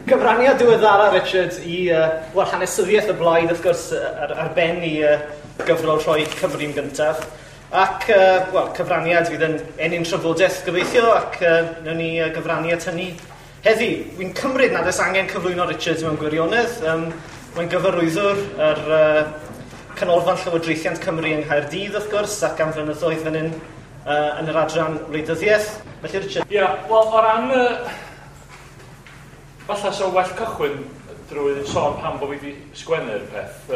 Cyfraniad diweddara, Richard, i wel, hanesyddiaeth y blaid, wrth gwrs, ar ben i gyfrol rhoi Cymru'n gyntaf. Ac, wel, cyfraniad fydd yn ennyn trafodaeth gobeithio, ac wnawn ni gyfrannu at hynny heddi. Wy'n cymryd nad oes angen cyflwyno Richard mewn gwirionedd. Mae'n gyfarwyddwr yr Canolfan Llywodraethiant Cymru yng Nghaerdydd, wrth gwrs, ac am flynyddoedd fan hyn yn yr adran wleidyddiaeth. Felly, Richard. Ia, yeah, wel, o ran... Falle so well cychwyn drwy sôn pam bod fi wedi sgwennu'r peth.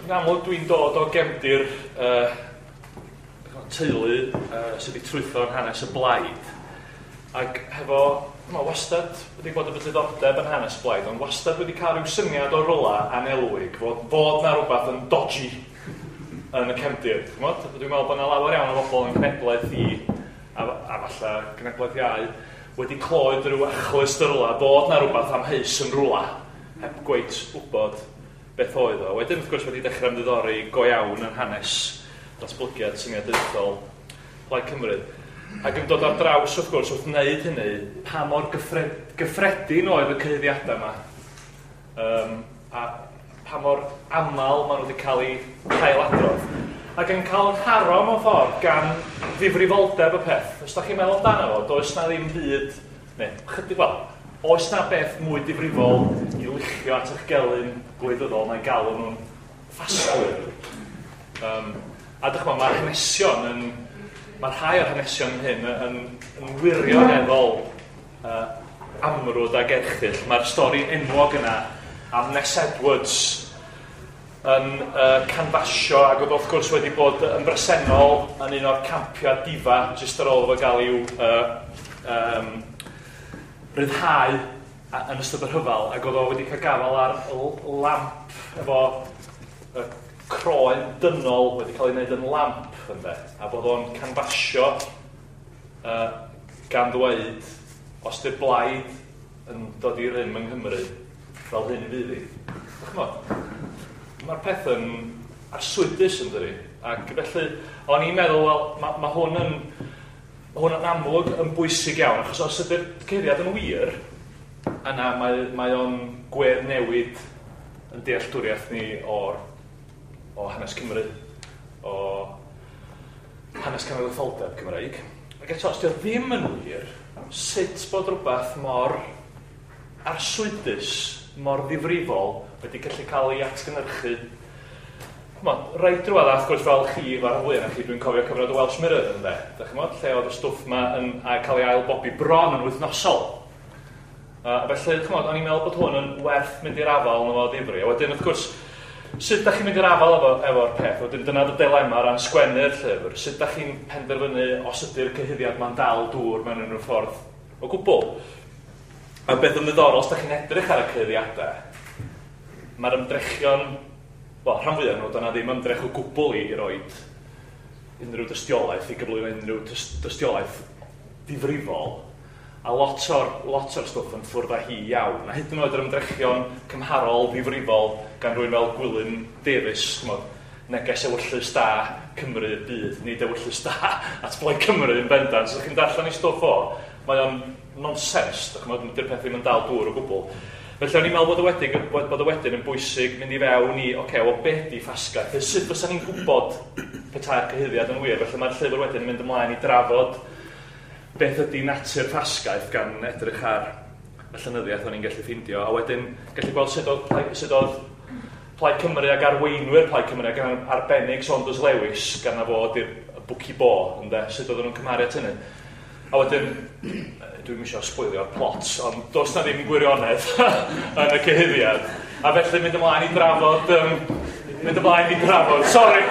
Yn amlwg dwi'n dod o gefndir teulu sydd wedi trwytho yn hanes y blaid. Ac hefo, ma, wastad wedi bod efo diddordeb yn hanes y blaid, ond wastad wedi cael rhyw syniad o rywle anelwig, fod na rhywbeth yn dodgy yn y cefndir. Dwi'n meddwl bod yna lawer iawn o bobl yn cenhedlaeth i, a falle cenhedlaeth iau, wedi clywed rhyw achlust y rywle, bod na rhywbeth amheus yn rywle, heb gweit wybod beth oedd o. Wedyn, wrth gwrs, wedi dechrau ymddiddori go iawn yn hanes datblygiad syniadaethol Plaid Cymru. Ac yn dod ar draws, wrth gwrs, wrth wneud hynny, pa mor gyffredin oedd y cyhuddiadau yma, a pa mor aml maen nhw wedi cael eu hailadrodd. Ac yn cael yn haro mewn ffordd gan ddifrifoldeb y peth. Os da chi'n meddwl amdano fo, does na ddim byd, neu chydig, wel, oes na beth mwy difrifol i luchio at eich gelyn gwleidyddol na'i galw nhw'n ffasgwyr. A dych chi'mod, mae'r hanesion yn, mae rhai o'r hanesion hyn yn wirioneddol amrwd ag erchyll. Mae'r stori enwog yna am Ness Edwards yn canfasio, ac oedd wrth gwrs wedi bod yn bresennol yn un o'r campiau difa jyst ar ôl iddo gael i'w ryddhau yn ystod y rhyfel, ac oedd o wedi cael gafael ar lamp efo croen dynol wedi cael ei wneud yn lamp, ynde, a bod o'n canfasio gan ddweud, os di'r blaid yn dod i rym yng Nghymru, fel hyn fydd hi. Ch'mod, mae'r peth yn arswydus, yn dydi? Ac felly, o'n i'n meddwl, wel, ma hwn yn amlwg yn bwysig iawn, achos os ydy'r cyhuddiad yn wir, yna mae o'n gwedd newid yn dealltwriaeth ni o hanes Cymru, o hanes cenedlaetholdeb Cymreig. Ac eto, os dio ddim yn wir, sut bod rhywbeth mor arswydus, mor ddifrifol wedi gallu cael ei atgynhyrchu? Ch'mod, reit drwadd, wrth gwrs, fel chi, fel rhan fwyaf chi, dwi'n cofio cyfnod y Welsh Mirror, ynde? Dach chi'mod, lle oedd y stwff ma yn cael ei ailbobi bron yn wythnosol. Felly, ch'mod, o'n i'n meddwl bod hwn yn werth mynd i'r afael yno fo ddifri. A wedyn, wrth gwrs, sut dach chi'n mynd i'r afael efo'r peth? Wedyn, dyna dy dilema o ran sgwennu'r llyfr. Sut dach chi'n penderfynu os ydy'r cyhuddiad ma'n dal dŵr mewn unrhyw ffordd o gwbl? A beth yn ddiddorol, os dach chi'n edrych ar y cyhuddiadau, mae'r ymdrechion, wel, rhan fwyaf nhw, dyna ddim ymdrech o gwbl i roed unrhyw dystiolaeth, i gyflwyno unrhyw dystiolaeth difrifol, a lot o'r stwff yn ffwrdd â hi iawn. A hyd yn oed yr ymdrechion cymharol ddifrifol gan rywun fel Gwilym Davies, ch'mod, neges ewyllys da Cymru i'r byd, nid ewyllys da at Blaid Cymru yn bendant. Os ydych chi'n darllen ei stwff o, mae o'n nonsens, dych chi'mod, dydy'r peth ddim yn dal dŵr o gwbl. Felly o'n i'n meddwl bod o wedyn yn bwysig mynd i fewn i, oce, wel, be di ffasgaeth? Felly, sut fysa ni'n gwybod petai'r cyhuddiad yn wir? Felly mae'r llyfr wedyn yn mynd ymlaen i drafod beth ydy natur ffasgaeth gan edrych ar y llenyddiaeth o'n i'n gallu ffeindio, a wedyn gallu gweld sut oedd Plaid Cymru ac arweinwyr Plaid Cymru ac yn arbennig Saunders Lewis, gan na fod i'r bwci bo, ynde, sut oedden nhw'n cymharu at hynny. A wedyn, dwi'm isio sboilio'r plot, ond does na ddim gwirionedd yn y cyhuddiad. A felly mynd ymlaen i drafod, mynd ymlaen i drafod, sori!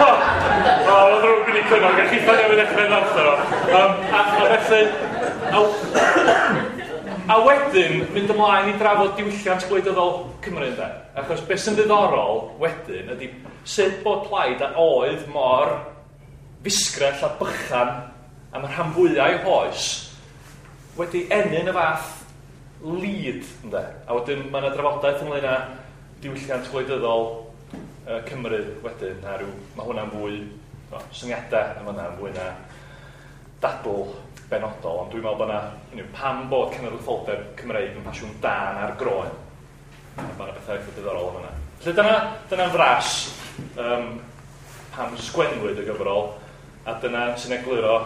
O, mae'n ddrwg gen i Cynog, a chitha newydd ddechrau ddarllen o. A felly, a wedyn, mynd ymlaen i drafod diwylliant gwleidyddol Cymru, ynde? Achos beth sy'n ddiddorol wedyn ydy sut bod Plaid a oedd mor fusgrell a bychan am y rhan fwyaf o'i hoes wedi ennyn y fath lead, ynde? A wedyn mae yna drafodaeth ynglyn â diwylliant gwleidyddol Cymru wedyn, a rhyw, mae hwnna'n fwy, no, syniadau yn fan'na, fwy na dadl benodol, ond dwi'n meddwl bod yna, pam bod cenedlaetholdeb Cymreig yn ffasiwn dân ar groen. A mae yna bethau eitha diddorol am hynna. Felly dyna'n fras pam sgwennwyd y gyfrol, a dyna sy'n egluro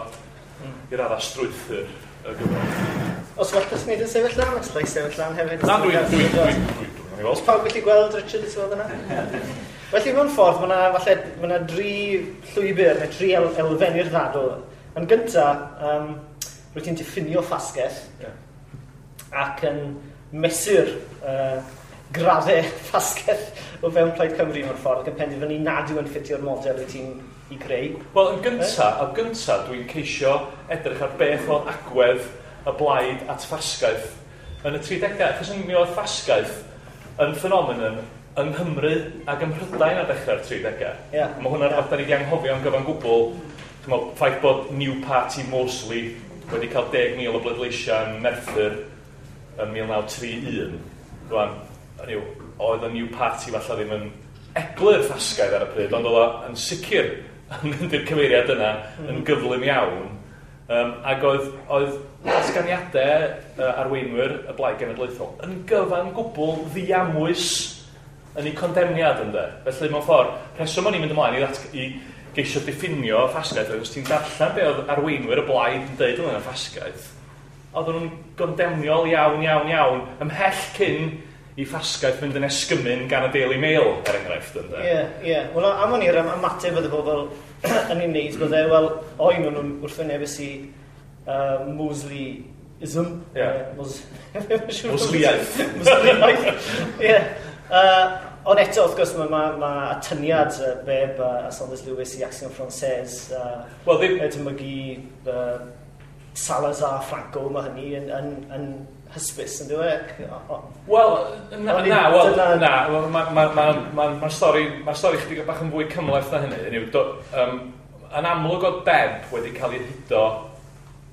i raddau strwythur y gyfrol. Os well dys wneud yn sefyll lan, os llai sefyll lan hefyd. Na, dwi'n. Os pawb gallu gweld Richard i sefyll yna? Felly mewn ffordd, mae yna falle, mae yna dri llwybr neu tri elfen i'r ddadl. Yn gyntaf, rwyt ti'n diffinio ffasgaeth ac yn mesur graddau ffasgaeth o fewn Plaid Cymru mewn ffordd ac yn penderfynu nad yw yn ffitio'r model wyt ti'n i greu. Wel, yn gyntaf, dwi'n ceisio edrych ar beth oedd agwedd y blaid at ffasgaeth yn y 30au. Achos mi oedd ffasgaeth yn ffenomenon yng Nghymru ac ym Mhrydain ar ddechrau'r 30au. Yeah. Mae hwnna'n rhywbeth da ni wedi anghofio am gyfan gwbl. Chimod, ffaith bod New Party Mosley wedi cael 10,000 o bleidleisiau yn Merthyr yn 1931. Rwan, hynny yw, oedd y New Party falle ddim yn eglur ffasgaidd ar y pryd, ond oedd o yn sicr yn mynd i'r cyfeiriad yna yn gyflym iawn. Ac oedd datganiadau arweinwyr y Blaid Genedlaethol yn gyfan gwbl ddiamwys yn eu condemniad, ynde. Felly, mewn ffordd, rheswm o'n i'n mynd ymlaen i geisio diffinio ffasgaeth, oedd os ti'n darllen be oedd arweinwyr y blaid yn deud ynglyn â ffasgaeth, oedden nhw'n gondemniol iawn, iawn, iawn, ymhell cyn i ffasgaeth fynd yn esgymyn gan y Daily Mail, er enghraifft, ynde. Ie, ie. Wel, am o'n i'r ymateb oedd y bobl yn ei wneud, bydde, wel, oen nhw'n wrthwynebus i Mosleyism. Yeah. Mosleyaeth. Mosleyaeth, ie. Ond eto, wrth gwrs, mae atyniad Bebb a Saunders Lewis i Action Française, Wel, ddim edmygu Salazar, Franco, mae hynny yn hysbys, yn dweud? Wel, na, wel, na, mae'r stori, ma stori chydig bach yn fwy cymhleth na hynny. Hynny yw, yn amlwg oedd Bebb wedi cael ei hudo,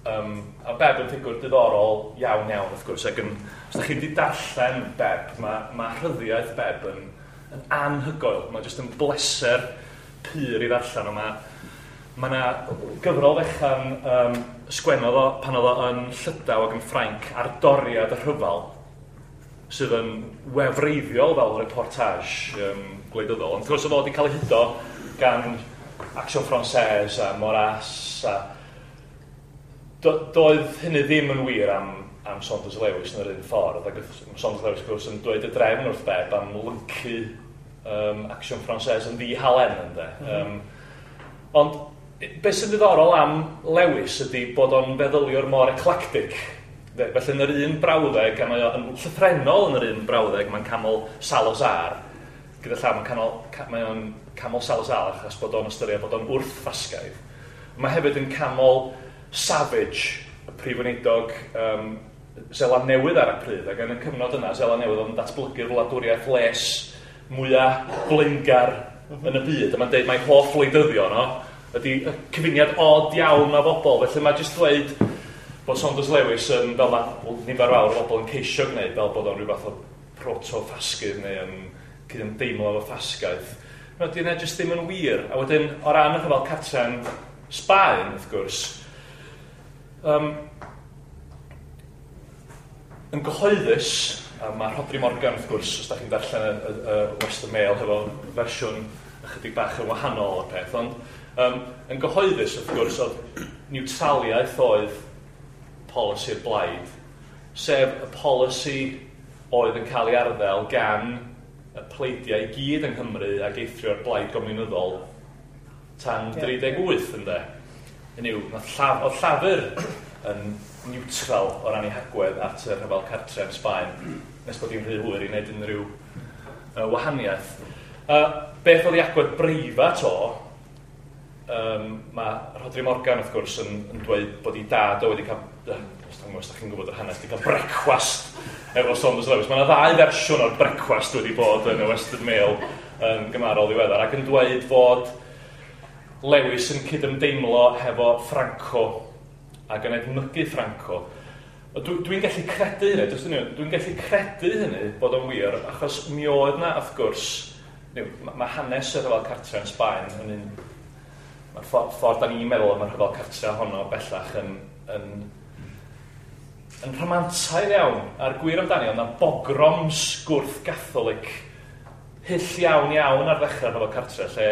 a Bebb yn ffigwr diddorol iawn iawn, wrth gwrs, ac yn, os ydych chi wedi darllen Bebb, mae rhyddiaeth Bebb yn anhygoel. Mae jyst yn bleser pur i ddarllen, ond mae yna gyfrol fechan sgwennodd o pan oedd o yn Llydaw ac yn Ffrainc ar doriad y rhyfel, sydd yn wefreiddiol fel reportage gwleidyddol. Ond wrth gwrs oedd o wedi cael ei hudo gan Action Française a Maurras a doedd hynny ddim yn wir am Saunders Lewis yn yr un ffordd, ac oedd Saunders Lewis, wrth gwrs, yn dweud y drefn wrth Bebb am lyncu Action Française yn ddihalen, ynde. Ond beth sy'n ddiddorol am Lewis ydy bod o'n feddyliwr mor eclectic. Felly yn yr un brawddeg, a mae o'n llythrennol yn yr un brawddeg, mae'n camol Salazar. Gyda llaw, mae o'n camol Salazar achos bod o'n ystyried bod o'n wrth-ffasgaidd. Mae hefyd yn camol Savage, y prif weinidog Seland Newydd ar y pryd, ac yn y cyfnod yna, Seland Newydd oedd yn datblygu'r wladwriaeth les mwyaf blaengar yn y byd. A mae'n deud mai hoff wleidyddion o ydy y cyfuniad od iawn o bobl. Felly mae jyst dweud bod Saunders Lewis yn, fel mae nifer fawr o bobl yn ceisio gwneud, fel bod o'n rhyw fath o proto-ffasgydd neu yn cydymdeimlo efo ffasgaeth. No, di hynna jyst ddim yn wir. A wedyn, o ran y rhyfel cartre'n Sbaen, wrth gwrs, yn gyhoeddus, a mae Rhodri Morgan, wrth gwrs, os da chi'n darllen y Western Mail hefo fersiwn ychydig bach yn wahanol o'r peth, ond yn gyhoeddus, wrth gwrs, oedd niwtraliaeth oedd polisi'r blaid, sef y polisi oedd yn cael ei arddel gan y pleidiau i gyd yng Nghymru ac eithrio'r blaid gomiwnyddol tan 38, ynde. Hynny yw, oedd Llafur yn niwtral o ran ei hagwedd at y rhyfel cartref yn Sbaen, nes bod hi'n rhy hwyr i wneud unrhyw wahaniaeth. Beth oedd ei agwedd breifat o, mae Rhodri Morgan, wrth gwrs, yn dweud bod ei dad o wedi cael, os da chi'n gwybod yr hanes, wedi cael brecwast efo Saunders Lewis. Mae yna ddau fersiwn o'r brecwast wedi bod yn y Western Mail yn gymharol ddiweddar, ac yn dweud fod Lewis yn cydymdeimlo hefo Franco ac yn edmygu Franco. Dwi'n gallu credu hynny, dwi'n gallu credu hynny bod o'n wir, achos mi oedd na, wrth gwrs, mae hanes y rhyfel cartre yn Sbaen yn un, mae'r ffordd da ni'n meddwl am y rhyfel cartre honno bellach yn yn rhamantaidd iawn, a'r gwir amdani, oedd yna bogroms gwrth-Gatholig hyll iawn iawn ar ddechrau rhyfel cartre, lle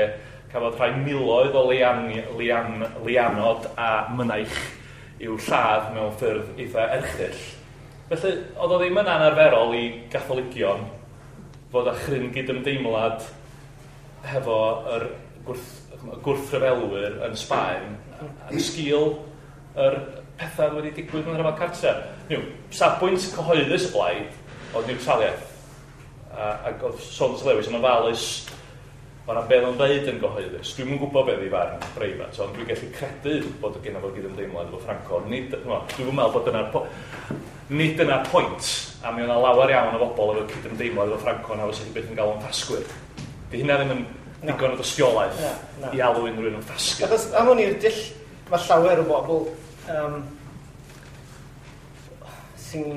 cafodd rhai miloedd o leianod a mynaich i'w lladd mewn ffyrdd eitha erchyll. Felly, oedd o ddim yn anarferol i Gatholigion fod â chryn gydymdeimlad hefo yr gwrthryfelwyr yn Sbaen yn sgil yr pethau wedi digwydd mewn rhyfel cartre. Niw, safbwynt cyhoeddus y blaid oedd niwtraliaeth. Ac oedd Saunders Lewis yn ofalus o ran beth o'n dweud yn gyhoeddus. Dwi'm yn gwybod beth ei farn breifat, ond dwi'n gallu credu bod gen fo gydymdeimlad efo Franco. Nid, dwi'n meddwl bod dyna'r nid dyna'r pwynt, a mi oedd yna lawer iawn o bobl efo cydymdeimlad efo Franco na fysa chi byth yn galw yn ffasgwyr. Di hynna ddim yn digon o dystiolaeth i alw unrhyw un yn ffasgwyr. Achos am hwn i'r dull, mae llawer o bobl sy'n,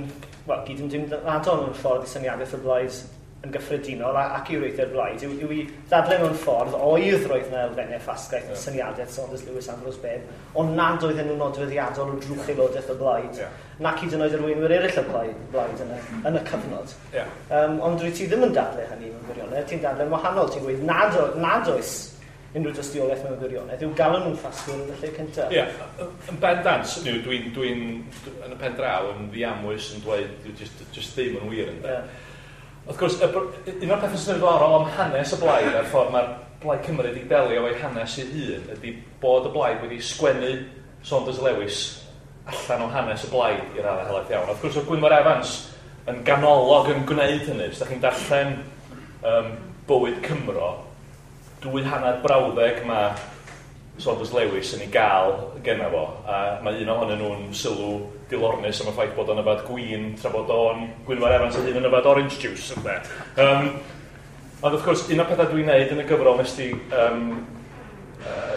wel, gyd-ymdeimladol mewn ffordd i syniadaeth y blaid yn gyffredinol ac i wreithio'r blaid, yw i ddadlau mewn ffordd oedd roedd yna elfennau ffasgaeth yn syniadaeth Saunders Lewis, Ambrose Bebb, ond nad oedden nhw'n nodweddiadol o drwch aelodaeth y blaid, nac hyd yn oed arweinwyr eraill y blaid yn y cyfnod. Ond dwi ti ddim yn dadlau hynny mewn gwirionedd, ti'n dadlau'n wahanol, ti'n gweud nad oes unrhyw dystiolaeth mewn gwirionedd, yw galw nhw'n ffasgwyr yn y lle cyntaf. Ie, yn bendant, dwi'n yn y pen draw yn ddiamwys yn dweud, just ddim yn wir ynde. Wrth gwrs, un o'r pethau sy'n ddiddorol am hanes y blaid a'r ffordd mae'r Blaid Cymru wedi delio efo'i hanes ei hun ydy bod y blaid wedi sgwennu Saunders Lewis allan o hanes y blaid i raddau helaeth iawn. Wrth gwrs, oedd Gwynfor Evans yn ganolog yn gwneud hynny. Os da chi'n darllen Bywyd Cymro, 2.5 brawddeg mae Saunders Lewis yn ei gael genna fo, a mae un ohonyn nhw'n sylw dilornus am y ffaith bod o'n yfad gwin tra bod o'n Gwynfor Evans ei hun yn yfad orange juice, ynde. Ond wrth gwrs, un o'r pethau dwi'n neud yn y gyfrol nes di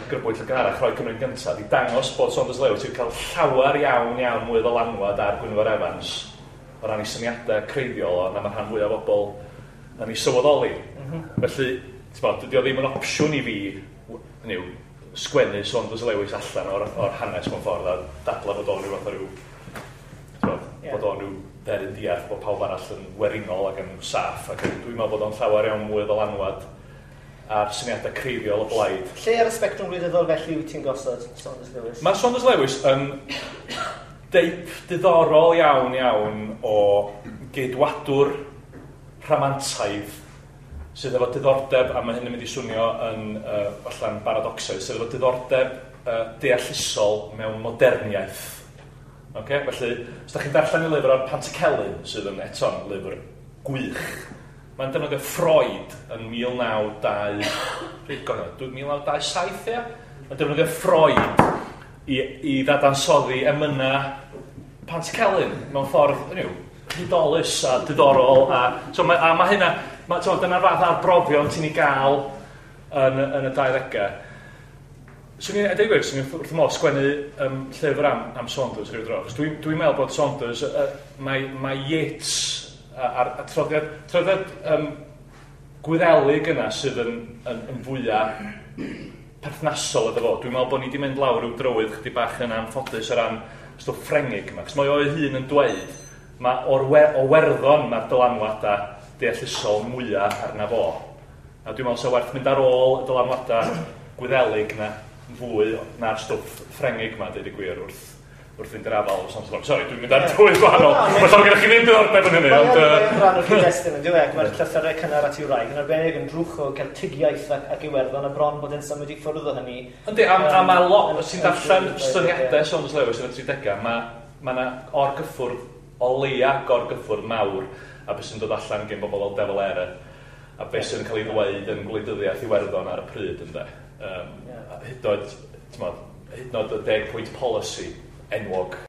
grybwyll y gynharach, Rhoi Cymru'n Gyntaf, di dangos bod Saunders Lewis wedi cael llawer iawn iawn mwy o ddylanwad ar Gwynfor Evans o ran ei syniadau creiddiol o na mae'r rhan fwyaf o bobl yn ei sylweddoli. Felly, dydy o ddim yn opsiwn i fi, hynny, sgwennu Saunders Lewis allan o'r hanes mewn ffordd a dadla bod o'n rhyw fath o ryw, bod o'n rhyw dderyn diarth, bod pawb arall yn werinol ac yn saff, ac dwi'n meddwl bod o'n llawer iawn mwy o ddylanwad ar syniadau creiddiol y blaid. Lle ar y sbectrwm gwleidyddol felly wyt ti'n gosod Saunders Lewis? Mae Saunders Lewis yn deip diddorol iawn iawn o geidwadwr rhamantaidd sydd efo diddordeb, a mae hyn yn mynd i swnio yn allan paradoxaidd, sydd efo diddordeb deallusol mewn moderniaeth. Okay? Felly, os da chi'n darllen ei lyfr ar Pantycelyn, sydd yn eto'n lyfr gwych, mae'n defnyddio Freud yn 1927, ia? Mae'n defnyddio Freud i ddadansoddi emyna Pantycelyn mewn ffordd, hynny yw, hudolus a diddorol. A mae hynna, dyna'r fath arbrofion ti'n ei gael yn y 20au. Swn i'n deud gwir, swn i'n wrth y modd sgwennu llyfr am Saunders rhyw dro. Dwi'n meddwl bod Saunders, mae Yeats a'r traddodiad Gwyddelig yna sydd yn fwyaf perthnasol iddo fo. Dwi'n meddwl bod ni wedi mynd lawr ryw drywydd chydig bach yn anffodus o ran stwff Ffrengig yma. Cos mae o'i hun yn dweud, mae o Werddon mae'r dylanwadau deallusol mwyaf arna fo. A dwi'n meddwl sa werth mynd ar ôl y dylanwadau Gwyddelig na fwy na'r stwff Ffrengig yma, deud y gwir, wrth fynd i'r afael o Saunders Lewis. Sori, dwi'n mynd ar dwy gwahanol. Mae llawer gennych chi ddim diddordeb yn hynny, ond Mae'n rhan o'r cyd-destun yn diwedd. Mae'r llythyrau cynnar at ei wraig yn arbennig yn drwch o Celtigiaeth ac Iwerddon, a bron bod e'n symud i ffwrdd o hynny. Yndi, a mae lot, os ti'n darllen syniadau Saunders Lewis yn y 30au, mae yna orgyffwrdd, o leia gorgyffwrdd mawr, a beth sy'n dod allan gen bobl fel De Valera, a beth sy'n cael ei ddweud yn gwleidyddiaeth Iwerddon ar y pryd, ynde. Hyd yn oed y 10-point policy enwog.